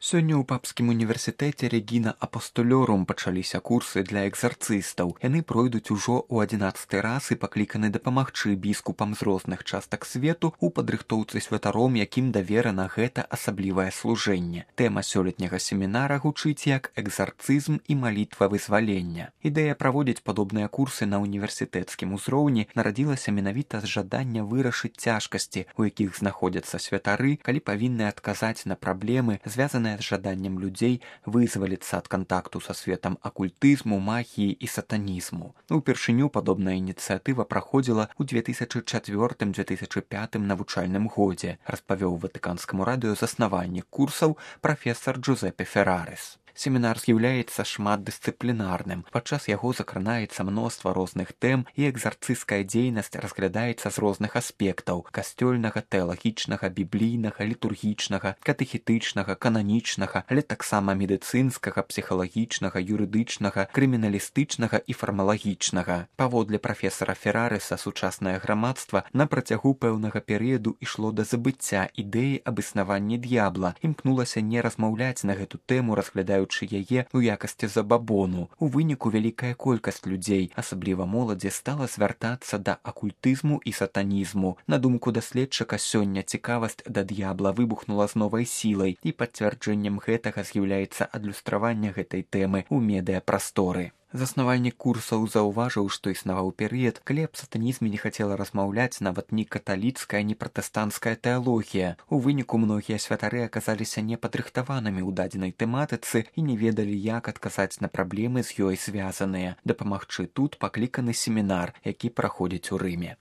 Сёння ў папскім універсітэце Регіна Апостолёрум пачаліся курсы для экзарцыстаў. Яны пройдуць ужо ў 11 раз і пакліканы дапамагчы біскупам з розных частак свету ў падрыхтоўцы святаром, якім даверана гэта асаблівае служэнне. Тэма сёлетняга семінара гучыць як экзарцызм і малітва вызвалення. Ідэя праводзіць падобныя курсы на універсітэцкім узроўні нарадзілася менавіта з жадання вырашыць цяжкасці, у якіх знаходзяцца святары, калі павінны адказаць на праблемы, звязаныя з жаданнем людзей вызваліцца ад кантакту са светам акультызму, магіі і сатанізму. Упершыню падобная ініцыятыва праходзіла ў 2004-2005 навучальным годзе, распавёў Ватыканскаму радыё заснавальнік курсаў прафесар Джузеппе Феррарес. Семінар з'яўляецца шматдысцыплінарным. Падчас яго закранаецца мноства розных тэм і экзарцысцкая дзейнасць разглядаецца з розных аспектаў: касцёльнага, тэалагічнага, біблійнага, літургічнага, катэхетычнага, кананічнага, але таксама медыцынскага, псіхалагічнага, юрыдычнага, крыміналістычнага і фармалагічнага. Паводле прафесара Феррареса, сучаснае грамадства на працягу пэўнага перыяду ішло да забыцця ідэі аб існаванні д'ябла, імкнулася не размаўляць на гэту тэму, разглядаючы яе ў якасці забабону. У выніку вялікая колькасць людзей, асабліва моладзі, стала звяртацца да акультызму і сатанізму. На думку даследчыка, сёння цікавасць да д'ябла выбухнула з новай сілай, і пацвярджэннем гэтага з'яўляецца адлюстраванне гэтай тэмы ў медыяпрасторы. Заснавальнік курсаў заўважыў, што існаваў перыяд, калі аб сатанізме не хацела размаўляць нават ні каталіцкая, ні пратэстанцкая тэалогія. У выніку многія святары аказаліся непадрыхтаванымі ў дадзенай тэматыцы і не ведалі, як адказаць на праблемы з ёй звязаныя. Дапамагчы тут пакліканы семінар, які праходзіць у Рыме.